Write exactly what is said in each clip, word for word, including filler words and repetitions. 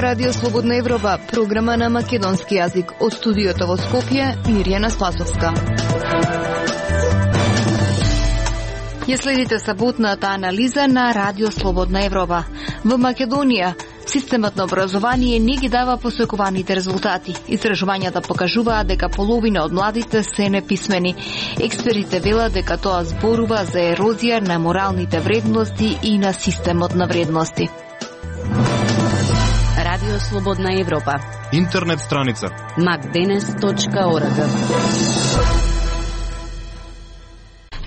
Радио Слободна Европа, програма на македонски јазик. Од студиото во Скопје, Мирјана Спасовска. Ја следите саботната анализа на Радио Слободна Европа. Во Македонија, системот на образование не ги дава посекуваните резултати. Истражувањата покажуваат дека половина од младите се неписмени. Експертите велат дека тоа зборува за ерозија на моралните вредности и на системот на вредности. Радио Слободна Европа. Интернет страница макденес точка орг.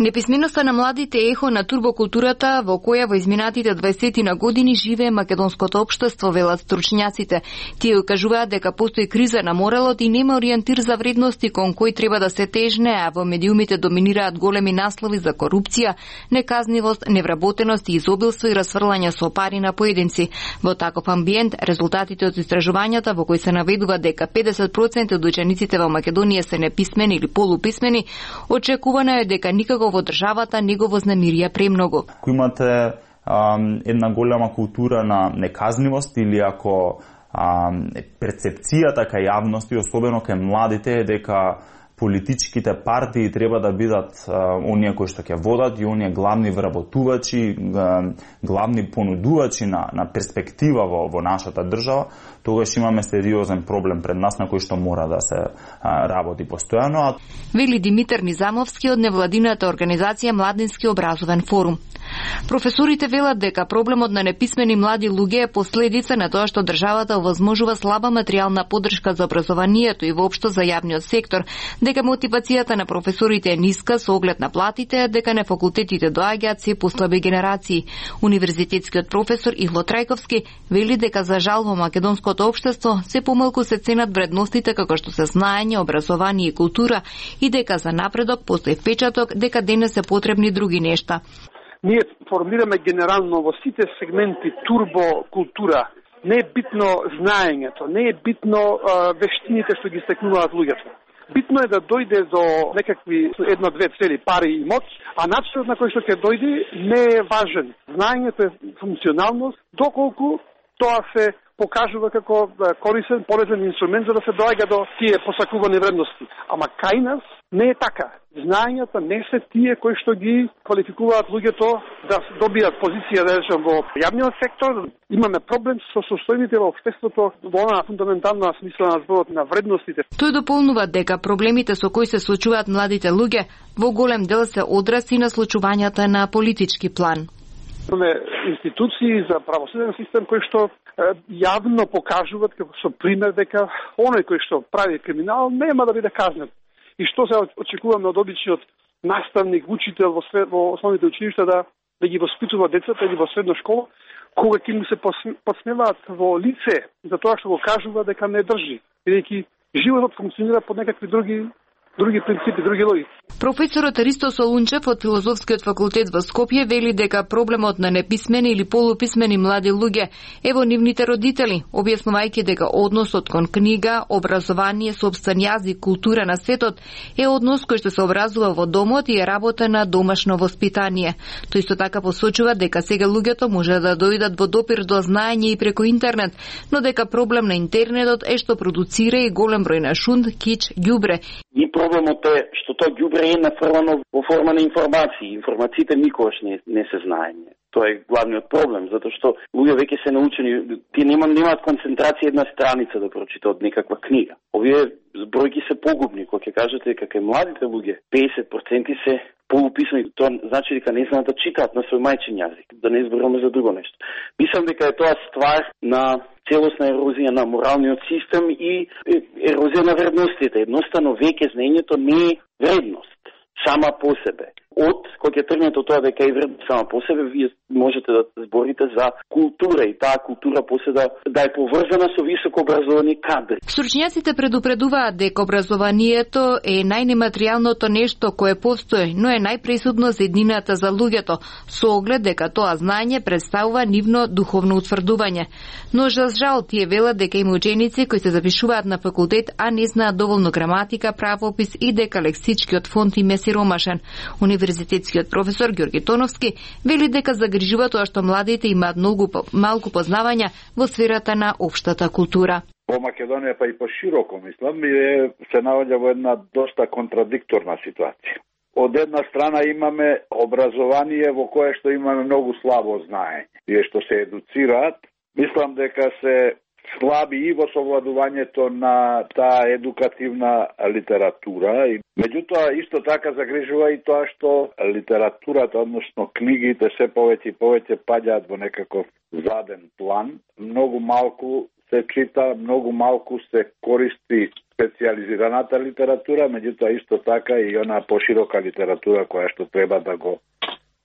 Неписменоста на младите е ехо на турбокултурата во која во изминатите дваесет на години живее македонското општество, велат стручњаците. Тие укажуваат дека постои криза на моралот и нема ориентир за вредности кон кој треба да се тежне, а во медиумите доминираат големи наслови за корупција, неказнивост, невработеност и изобилство и расфрлање со пари на поединци. Во таков амбиент, резултатите од истражувањата во кои се наведува дека педесет проценти од учениците во Македонија се неписмени или полуписмени, очекувано е дека никако во државата не го вознамирија премногу. Ако имате ам, една голема култура на неказнивост или ако ам, перцепцијата кај јавности, особено кај младите, е дека политичките партии треба да бидат а, оние кои што ќе водат и оние главни вработувачи, главни понудувачи на, на перспектива во, во нашата држава, тогаш имаме сериозен проблем пред нас на кој што мора да се а, работи постојано. Вели Димитар Низамовски од невладината организација Младински образовен форум. Професорите велат дека проблемот на неписмени млади луѓе е последица на тоа што државата овозможува слаба материјална поддршка за образованието и воопшто за јавниот сектор, дека мотивацијата на професорите е ниска со оглед на платите, дека на факултетите доаѓаат се послаби генерации. Универзитетскиот професор Игло Трајковски вели дека за жал во македонското општество се помалку се ценат вредностите како што се знаење, образование и култура и дека за напредок постои впечаток дека денес се потребни други нешта. Ние формираме генерално во сите сегменти турбокултура. Не е битно знаењето, не е битно а, вештините што ги стекнуваат луѓето. Битно е да дојде до некакви една-две цели, пари и моќ, а начинот на кој што ќе дојде не е важен. Знаењето е функционалност, доколку тоа се покажува како корисен, полезен инструмент за да се доаѓа до тие посакувани вредности. Ама кај нас не е така. Знаењата не се тие кои што ги квалификуваат луѓето да добијат позиција да речем во јавниот сектор. Имаме проблем со состојбите во општеството во она фундаментална смисла на зборот на вредностите. Тој дополнува дека проблемите со кои се соочуваат младите луѓе во голем дел се одрази на случувањата на политички план. Имаме институции за правосуден систем кои што јавно покажуваат како со пример дека оној кој што прави криминал нема да биде казнет. И што се очекуваме од обичниот наставник, учител во, свет, во основните училишта да, да ги воспитува децата или во средна школа, кога ќе му се подсневаат во лице за тоа што го кажува дека не држи, бидејќи животот функционира по некакви други други принципи, други логики. Професорот Ристо Солунчев од Филозофскиот факултет во Скопје вели дека проблемот на неписмени или полуписмени млади луѓе е во нивните родители, објаснувајќи дека односот кон книга, образование, сопствен јазик, култура на светот е однос кој што се образува во домот и е работа на домашно воспитание. Тој исто така посочува дека сега луѓето може да дојдат во допир до знаење и преку интернет, но дека проблем на интернетот е што продуцира и голем број на шунд, кич, ѓубре. И проблемот е што тоа ѓубре е нафрлано во форма на информации. Информациите никогаш не, не се знаење. Тоа е главниот проблем, затоа што луѓе веќе се научени, тие немаат немаат концентрација една страница да прочитаат некаква книга. Овие збројки се погубни, кога ќе кажете дека кај младите луѓе педесет проценти се полуписмени, тоа значи дека не знаат да читаат на свој мајчин јазик, да не зборуваме за друго нешто. Мислам дека е тоа ствар на целосна ерозија на моралниот систем и ерозија на вредностите. Едноставно веќе знаењето не е вредност сама по себе. Од кога ќе тргнете од тоа дека е вредност сама по себе, вие можете да зборите за култура и таа култура после да, да е поврзана со високо образовани кадри. Стручњаците предупредуваат дека образованието е најнематеријалното нешто кое постои, но е најпресудно за еднината за луѓето, со оглед дека тоа знаење представува нивно духовно утврдување. Но за жал тие велат дека има ученици кои се запишуваат на факултет, а не знаат доволно граматика, правопис и дека лексичкиот фонд им е сиромашен. Универзитетскиот професор Ѓорги Тоновски вели дека загрижува тоа што младите имаат многу малку познавања во сферата на општата култура. Во Македонија, па и пошироко, мислам, е, се наоѓа во една доста контрадикторна ситуација. Од една страна имаме образование во кое што имаме многу слабо знаење. Тие што се едуцираат, мислам дека се слаби и во совладувањето на таа едукативна литература. И, меѓутоа, исто така загрижува и тоа што литературата, односно книгите, се повеќе и повеќе паѓаат во некаков заден план. Многу малку се чита, многу малку се користи специализираната литература, меѓутоа исто така и она поширока литература која што треба да го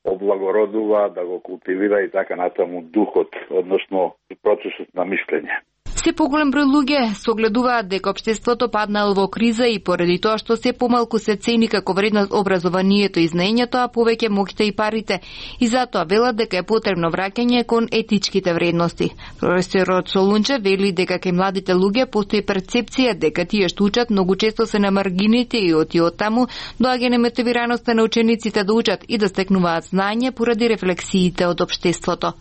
облагородува, да го култивира и така натаму духот, односно процесот на мислење. Се поголем број луѓе согледуваат дека општеството паднало во криза и поради тоа што се помалку се цени како вредност образованието и знаењето, а повеќе моќта и парите. И затоа велат дека е потребно враќање кон етичките вредности. Професорот Солунче вели дека кај младите луѓе постои перцепција дека тие што учат многу често се на маргините и од и од таму доаѓа немотивираноста на учениците да учат и да стекнуваат знаење поради рефлексиите од општеството.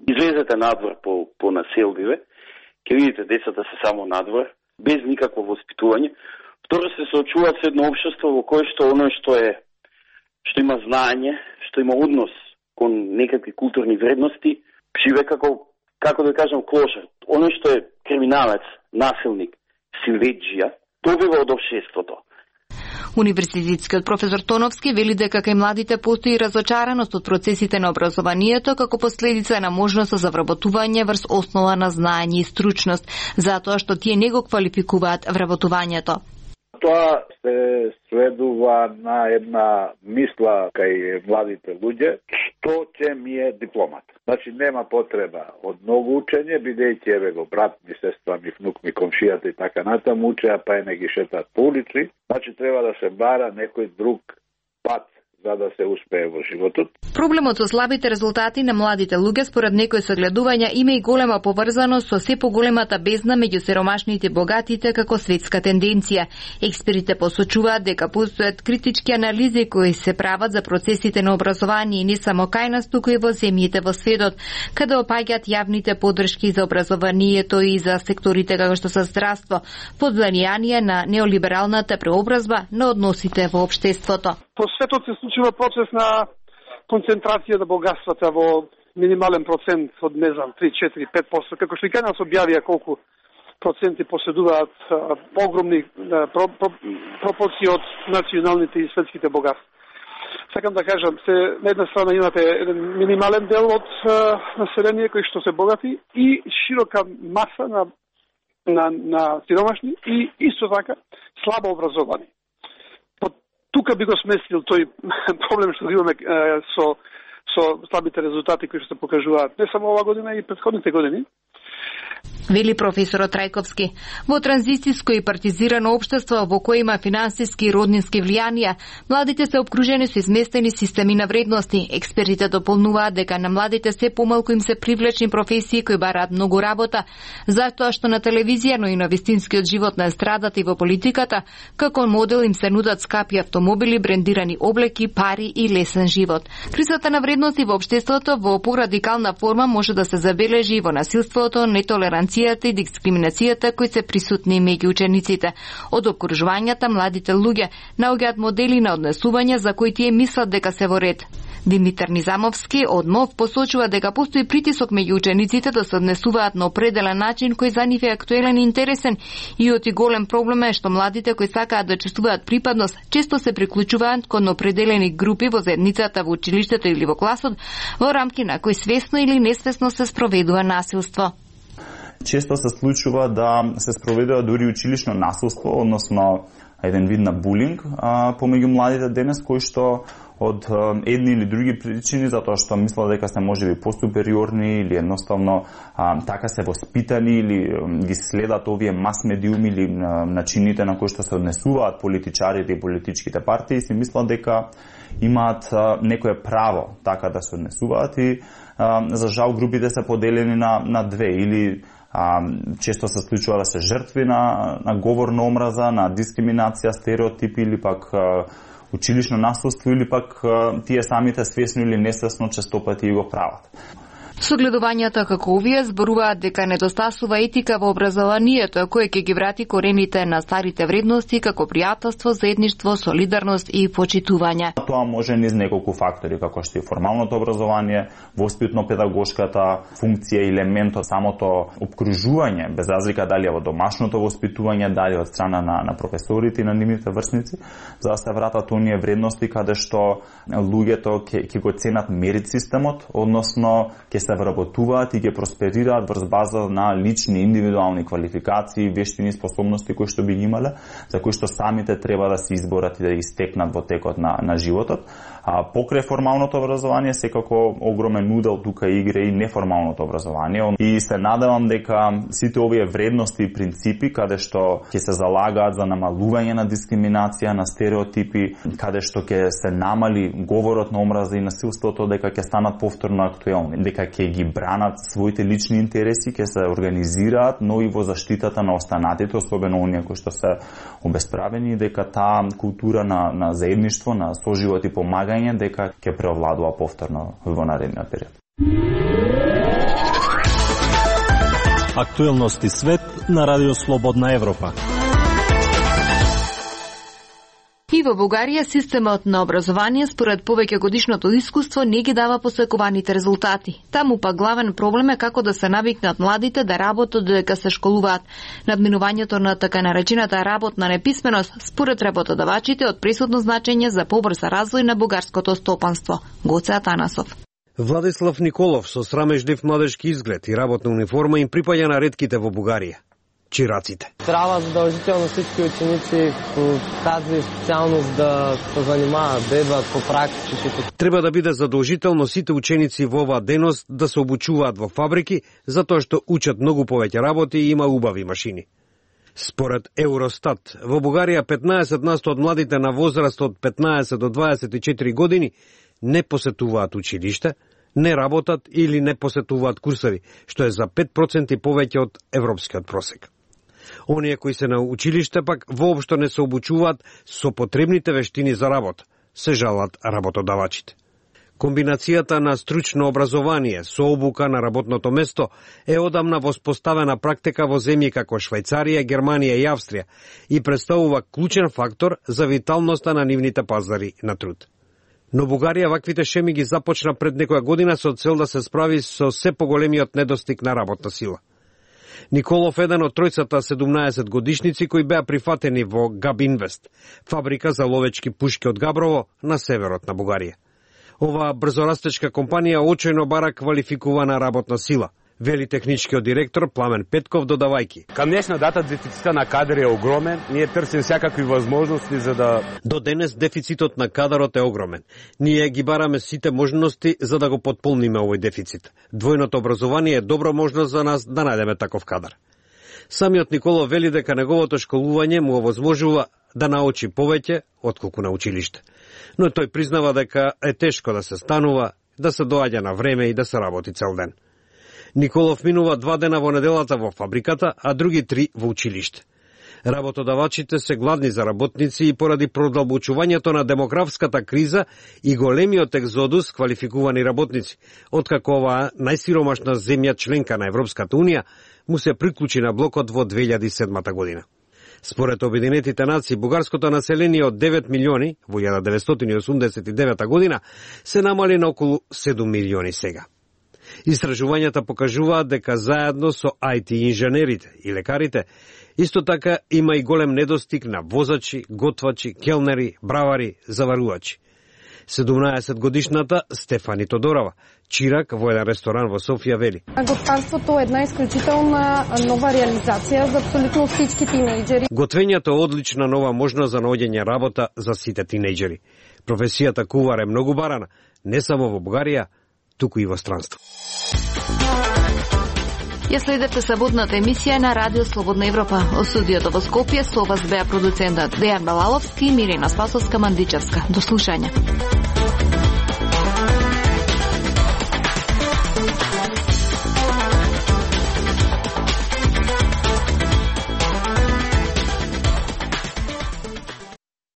Излезете надвор по, по населбиве, ќе видите децата се само надвор, без никакво воспитување. Второ, се соочуваат со едно општество во кое што оно што е што има знаење, што има однос кон некакви културни вредности, живее како како да кажам клошар. Оно што е криминалец, насилник, силеџија, добива од општеството. Универзитетскиот професор Тоновски вели дека кај младите постои разочараност од процесите на образованието како последица на можноста за вработување врз основа на знаење и стручност, затоа што тие не го квалификуваат вработувањето. Тоа се сведува на една мисла кај младите луѓе, што ќе ми е дипломата. Значи нема потреба од многу учење, бидејќи еве го брат ми, сестра ми, внук ми, комшијата и така натаму учеа, па е не ги шетат по улици. Значи треба да се бара некој друг пат за да се успее во животот. Проблемот со слабите резултати на младите луѓе според некои согледувања има и голема поврзаност со се поголемата бездна меѓу сиромашните и богатите како светска тенденција. Експертите посочуваат дека постојат критички анализи кои се прават за процесите на образование и не само кај нас, туку и во земјите во светот, каде опаѓаат јавните поддршки за образованието и за секторите како што се здравство, под влијание на неолибералната преобразба на односите во општеството. По светот се случува процес на концентрација на богатствата во минимален процент од, не знам, три, четири, пет проценти, како што и кај нас објавија колку проценти поседуваат а, огромни а, про, про, пропорции од националните и светските богатства. Сакам да кажам, се, на една страна имате еден минимален дел од а, население кои што се богати и широка маса на, на, на сиромашни и исто така слабо образовани. Тука би го сместил тој проблем што имаме е, со, со слабите резултати кои што се покажуваат не само ова година и претходните години. Вели професорот Трајковски. Во транзицијско и партизирано општество во кое има финансиски и роднински влијанија, младите се обкружени со изместени системи на вредности. Експертите дополнуваат дека на младите се помалку им се привлечни професии кои бараат многу работа, затоа што на телевизија, но и на вистинскиот живот на естрадата и во политиката, како модел им се нудат скапи автомобили, брендирани облеки, пари и лесен живот. Кризата на вредности во општеството во порадикална форма може да се забележи и во насилството, нетолеранција и дискриминацијата кои се присутни меѓу учениците. Од окружувањата младите луѓе наоѓаат модели на однесување за кои тие мислат дека се во ред. Димитар Низамовски од МОВ посочува дека постои притисок меѓу учениците да се однесуваат на определен начин кој за нив е актуелен и интересен и оти голем проблем е што младите кои сакаат да чувствуваат припадност често се приклучуваат кон определени групи во заедницата, во училиштето или во класот, во рамки на кои свесно или несвесно се спроведува насилство. Често се случува да се спроведува дури училишно насилство, односно еден вид на булинг а, помеѓу младите денес, кои што од а, едни или други причини, затоа што мислат дека се можеби посупериорни или едноставно а, така се воспитани или а, ги следат овие мас-медиуми или а, начините на кои што се однесуваат политичарите и политичките партии, си мислат дека имаат а, некое право така да се однесуваат и а, за жал групите се поделени на, на две или А, често се случува да се жртви на, на говор на омраза, на дискриминација, стереотипи или пак а, училишно насилство или пак тие самите свесно или несвесно често пати го прават. Согледувањата како овие зборуваат дека недостасува етика во образованието, кој ќе ги врати корените на старите вредности како пријателство, заедништво, солидарност и почитување. Тоа може низ неколку фактори, како што е формалното образование, воспитно-педагошката функција и елементот, самото обкружување, без разлика дали е во домашното воспитување, дали од страна на, на професорите и на нивните врсници, за да се вратат оние вредности каде што луѓето ќе го ценат мерит системот, односно ќе се вработуваат и ќе просперираат врз база на лични, индивидуални квалификации, вештини, способности кои што би ги имале, за кои што самите треба да се изборат и да ги стекнат во текот на, на животот. А покрај формалното образование, секако огромен удел тука игра и неформалното образование. И се надевам дека сите овие вредности и принципи, каде што ќе се залагаат за намалување на дискриминација, на стереотипи, каде што ќе се намали говорот на омраза и насилството, дека ќе станат повторно актуелни, дека ќе ги бранат своите лични интереси, ќе се организираат, но и во заштитата на останатите, особено оние кои што се обесправени, дека таа култура на, на заедништво, на соживот и помагање, дека ќе преовладува повторно во наредниот период. Актуелности свет на Радио Слободна Европа. И во Бугарија системот на образование според повеќе годишното искуство не ги дава посекуваните резултати. Таму па главен проблем е како да се навикнат младите да работат додека се школуваат. Надминувањето на така наречената работна неписменост според работодавачите од пресудно значење за побрз развој на бугарското стопанство. Гоце Атанасов. Владислав Николов со срамежлив младежки изглед и работна униформа им припаѓа на ретките во Бугарија. Чираците. Трябва задължително всички ученици по тази специалност да се занимават, да идват по практиките. Треба да биде задолжително сите ученици во оваа деност да се обучуваат во фабрики, затоа што учат многу повеќе работи и има убави машини. Според Евростат, во Бугарија петнаесет на сто од младите на возраст од петнаесет до дваесет и четири години не посетуваат училиште, не работат или не посетуваат курсови, што е за пет проценти повеќе од европскиот просек. Оние кои се на училиште пак воопшто не се обучуваат со потребните вештини за работа, се жалат работодавачите. Комбинацијата на стручно образование со обука на работното место е одамна воспоставена практика во земји како Швајцарија, Германија и Австрија и представува клучен фактор за виталноста на нивните пазари на труд. Но Бугарија ваквите шеми ги започна пред некоја година со цел да се справи со се поголемиот недостиг на работна сила. Николов еден од тројцата седумнаесет годишници кои беа прифатени во Габинвест, фабрика за ловечки пушки од Габрово на северот на Бугарија. Оваа брзорастечка компанија очајно бара квалификувана работна сила, вели техничкиот директор Пламен Петков додавајки. Кам днешна дата дефицитот на кадар е огромен, ние търсим всякакви возможности за да... До денес дефицитот на кадарот е огромен. Ние ги бараме сите можности за да го потполниме овој дефицит. Двојното образование е добра можност за нас да најдеме таков кадар. Самиот Николов вели дека неговото школување му овозможува да научи повеќе отколку на училиште. Но тој признава дека е тешко да се станува, да се доаѓа на време и да се работи цел ден. Николов минува два дена во неделата во фабриката, а други три во училиште. Работодавачите се гладни за работници и поради продолбочувањето на демографската криза и големиот екзодус квалификувани работници, откако оваа најсиромашна земја членка на Европската Унија му се приклучи на блокот во две илјади и седма година. Според Обединетите нации, бугарското население од девет милиони во илјада деветстотини и осумдесет и девета година се намали на околу седум милиони сега. Истражувањата покажуваат дека заедно со ај ти инженерите и лекарите, исто така има и голем недостиг на возачи, готвачи, келнери, бравари, заварувачи. седумнаесет годишната Стефани Тодорова, чирак во еден ресторан во Софија, вели. Готварството е една исклучителна нова реализација за апсолутно всички тинејџери. Готвењето е одлична нова можност за наоѓање работа за сите тинејџери. Професијата кувар е многу барана, не само во Бугарија, туку и во странство. Ја следете саботната емисија на Радио Слободна Европа. Од студиото во Скопје со вас беа продуцентот Дејан Балаловски и Мирина Спасовска-Мандичевска. До слушање.